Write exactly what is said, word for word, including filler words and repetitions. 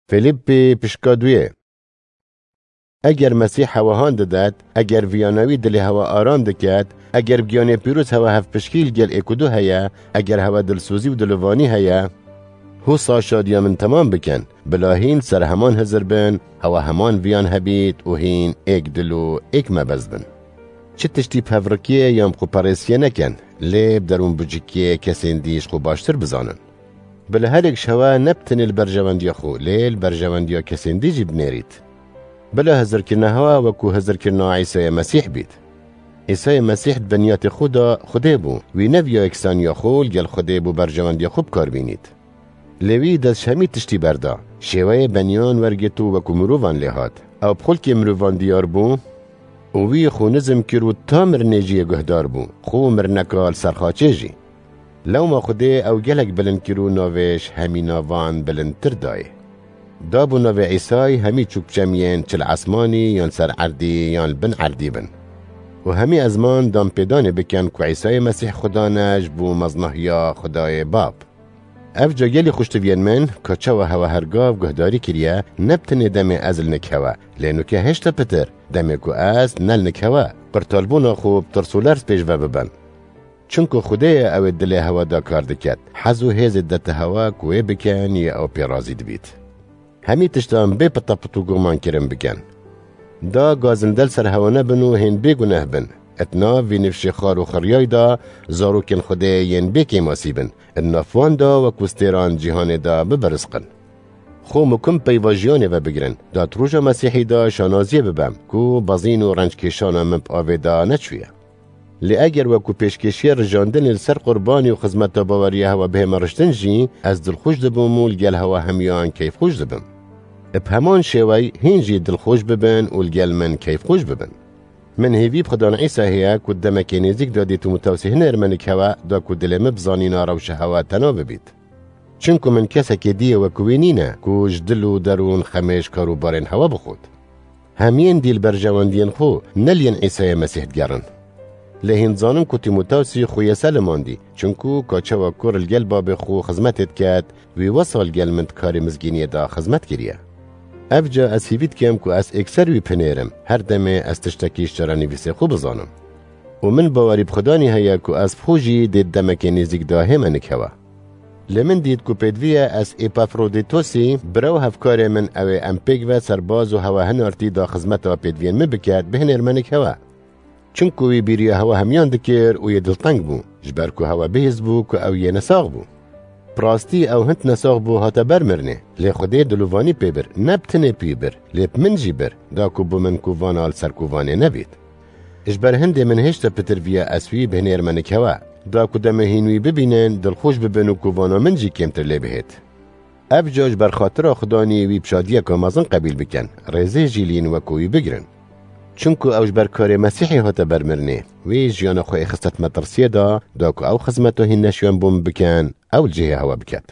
Fîlîppî pişka duyê. Eger Mesîh hewa han didet, eger viyana wî dilê hewa aram diket, eger giyanê pîroz hewa hevpişkî li gel êk û du heye, eger hewa dilsozî û dilovanî heye, husa şadiya min temam bikin, bila hîn ser heman hizir bin, hewa heman viyan hebît û hîn êk dil û êk mebez bin. Çi tiştî bi hevrikiyê yan bi xwe perêsiyê nekin, lê bi derûnbûcikiyê kesên dî ji xwe baştir bizanin. Bila her êk ji hewa ne bi tenê li berjewendiya xwe, lê li berjewendiya kesên dî jî binêrît. Bila hizirkirina hewa wekû hizirkirina Îsayê Mesîh bît. Îsayê Mesîh di binyatê xwe de Xwedê bû. Wî neviya yeksaniya xwe li gel Xwedê bo berjewendiya xwe bi kar bînît. Lê wî dest ji hemî tiştî berda. Şêweyê beniyan wergirt û wekû mirovan lê hat. Ew bi xulkê mirovan diyar bû û wî xwe nizm kir û ta mirinê jî yê guhdar bû. Xwe û mirineka li ser xaçê jî. Lewma Xwedê ew gelek bilind kir û navê ji hemî navan bilindtir dayê. Da bû navê Îsay hemî çûk çemiyên çi li esmanî yan ser erdî yan li bin erdî bin. Û hemî ezman dan pêdanê bikin ku Îsayê Mesîh Xudan e ji bo meznahiya Xwedayê Bab. Ev ca gelî xweştiviyên min, ka çawa hewa her gav guhdarî kiriye, ne bi tenê demê ez li nik hewa, lê nuke hêşta pitir, demê ku ez ne li nik hewa, qirtalbûna xwe bi tirs û lerz pêş ve bibin. Çunku Xwedê ye ew ê dilê hewa da kar diket, hez û hêzê dete hewa ku wê bikin yê ew pê razî dibît. Hemî tiştan bê pitepit û guman kirin bikin. Da gazinde li ser hewa nebin û hên bêguneh bin. Et nav vî nifşê xar û xiryay da zarokên Xwedê yên bê kêmasî bin. Di nav wan da wekû stêran cîhanê de bibirisqin. Xwe mukim peyva jiyanê ve bigirin. Da di roja Mesîhî de şanaziyê bibem, ku bezîn û renckêşana min bi avê de neçûye. Lê eger wekû pêşkêşiya rijandinê li ser qurbanî û xizmeta baweriya hewa bihême riştin jî, ez dilxweş dibim û li gel hewa hemiyan keyfxweş dibim. Bi heman şêwey hîn jî dilxweş bibin û li gel min keyfxweş bibin. Min hêvî bi Xudan Îsa heye ku di demekê nêzîk de dê Tîmotewsî hinêrme nik hewa, da ku dilê min bi zanîna rewşa hewa tena bibît. Çunku min kesekê dî yê wekû wî nîne ku ji dil û derûn xemê ji kar û barên hewa bixwit. Hemiyên dî li berjewendiyên xwe ne li yên Îsayê Mesîh digerin. Lê hîn dizanim ku Tîmotewsî xwe yê selimandî, çunku ka çawa kur li gel babê xwe xizmetê diket, wî wesa li gel min di karê mizgîniyê de xizmet kiriye. Evca ez hîvî dikim ku ez êkser wî binêrim, her demê ez tiştekî ji çarenivîsê xwe bizanim. Û min bawerî bi Xudanî heye ku ez bi xwe jî dê di demekê nêzîk de hême nik hewa. Lê min dît ku pêdivî ye ez Epafrodîtosî, bira û hevkarê min, ew ê em pêk ve serbaz û hewa hinartî da xizmeta pêdiviyên min biket, bihinêrme nik hewa. Çunku wî bîriya hewa hemiyan dikir û yê dilteng bû, ji ber ku hewa bihîst bû ku ew yê nesax bû. Bi rastî ew hind nesax bû, hate ber mirinê, lê Xwedê dilovanî pê bir, ne bi tenê pî bir, lê bi min jî bir, da ku bo min kovana li ser kovanê nebît. Ji ber hindê min hêşta pitir viya ez wî bihinêrme nik hewa, da ku demê hîn wî bibînin, dilxweş bibin û kovana min jî kêmtir lê bihêt. Evca ji ber xatira Xudanî wî bi şadiyeke mezin qebîl bikin, rêzê jî li yin wekû wî bigirin. Çunku ew ji ber karê Mesîhê hate ber mirinê, wî jiyana xwe êxiste di metirsiyê de, da ku ew xizmeta hîn neşiyan bo min bikin, ew li cihê hewa biket.